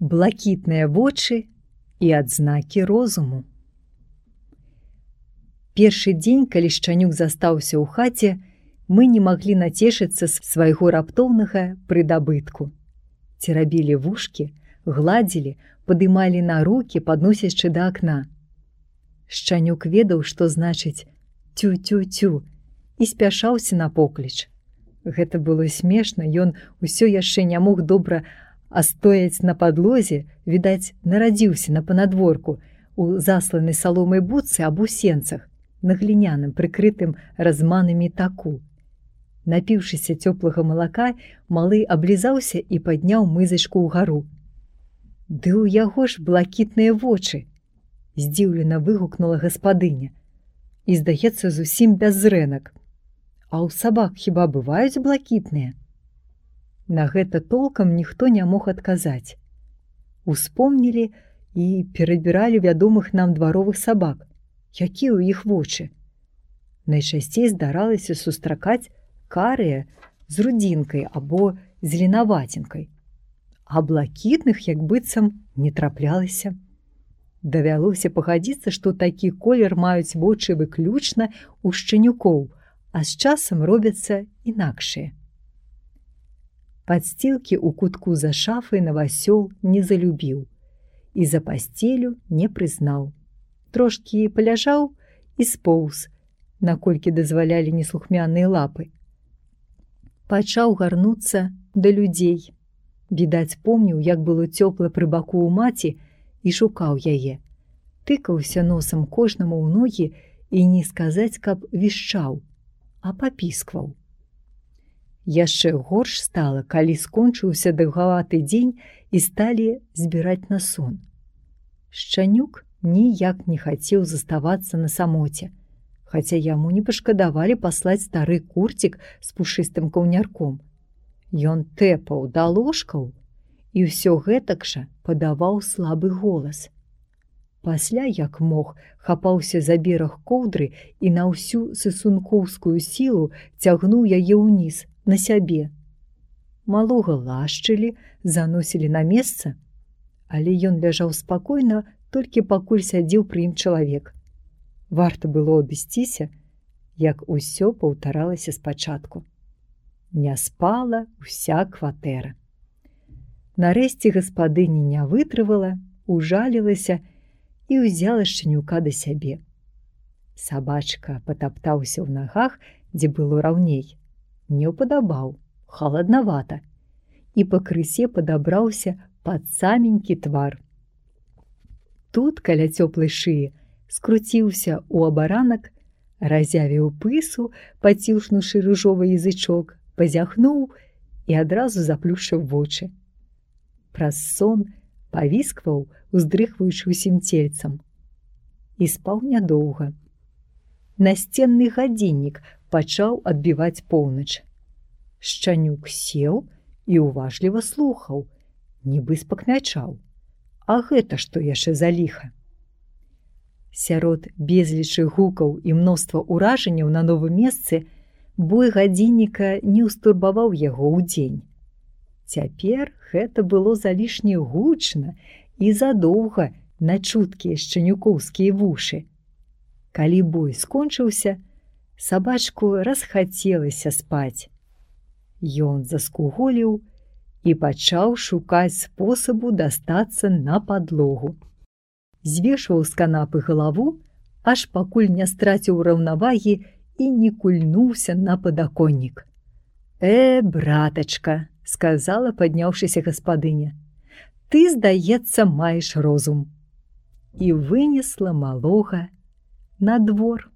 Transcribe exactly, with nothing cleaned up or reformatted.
блакітныя вочы і адзнакі розуму. Першы дзень, калі Шчанюк застаўся ў хаце, мы не маглі нацешыцца з свайго раптоўнага прыдабытку. Церабілі вушкі, гладзілі, падымалі на рукі, падносячы да акна. Шчанюк ведаў, што значыць «тю-тю-тю» і спяшаўся на покліч. Гэта было смешна, ён усё яшчэ не мог добра астояць на падлозе, відаць, нарадзіўся на панадворку, у засланай саломай будцы або сенцах, на гліняным, прыкрытым разманамі таку. Напіўшыся цёплага малака, малы аблізаўся і падняў мызачку ўгару. «Ды ў яго ж блакітныя вочы!» – здзіўлена выгукнула гаспадыня. «І, здаецца, зусім без зрэнак. А ў сабак хіба бываюць блакітныя?» На гэта толкам ніхто не мог адказаць. Успомнілі і перабіралі вядомых нам дваровых сабак. Якія ў іх вочы? Найчасцей здаралася сустракаць карыя з рудзінкай або зеленаваценькай, а блакітных як быццам не траплялася. Давялося пагадзіцца, што такі колер маюць вочы выключна ў шчанюкоў, а з часам робяцца інакшыя. Падсцілкі ў кутку за шафай Навасёл не залюбіў і за пасцелю не прызнаў. Трошкі паляжаў і споўз, наколькі дазвалялі неслухмяныя лапы. Пачаў гарнуцца да людзей. Відаць, помніў, як было цёпла пры баку ў маці, і шукаў яе. Тыкаўся носам кожнаму ў ногі і не сказаць, каб вішчаў, а папіскваў. Яшчэ горш стала, калі скончыўся даўгаваты дзень і сталі збіраць на сон. Шчанюк ніяк не хацеў заставацца на самоце, хаця яму не пашкадавалі паслаць стары курцік з пушыстым каўнярком. Ён тэпаў да ложкаў і ўсё гэтак жа падаваў слабы голас. Пасля, як мог, хапаўся за бераг коўдры і на ўсю сысункоўскую сілу цягнуў яе ўніз, на сябе. Малога лашчылі, заносілі на месца, але ён ляжаў спакойна, толькі пакуль сядзеў пры ім чалавек. Варта было адысціся, як усё паўтаралася спачатку. Не спала ўся кватэра. Нарэшце гаспадыня не вытрывала, ужалілася і ўзяла Шчанюка да сябе. Сабачка патаптаўся ў нагах, дзе было раўней. Не ўпадабаў, халаднавата, і пакрысе падабраўся пад саменькі твар. Тут, каля цёплай шыі, скруціўся ў абаранак, разявіў пысу, паціўшнуўшы ружовы язычок, пазяхнуў і адразу заплюшчыў вочы. Праз сон павіскваў, уздрыхваючы ўсім цельцам. І спаў нядоўга. Насценны гадзіннік пачаў адбіваць поўнач. Шчанюк сеў і уважліва слухаў, нібы спакмячаў. А гэта што яшчэ за ліха? Сярод безлічы гукаў і мноства ўражанняў на новым месцы бой гадзінніка не ўстурбаваў яго ў дзень. Цяпер гэта было залішне гучна і задоўга на чуткія шчанюкоўскія вушы. Калі бой скончыўся, сабачку расхацелася спаць. Ён заскуголіў і пачаў шукаць спосабу дастацца на падлогу. Звешваў з канапы галаву, аж пакуль не страціў раўнавагі і не кульнуўся на падаконнік. «Э, братачка», – сказала, падняўшыся гаспадыня, – «ты, здаецца, маеш розум». І вынесла малога на двор.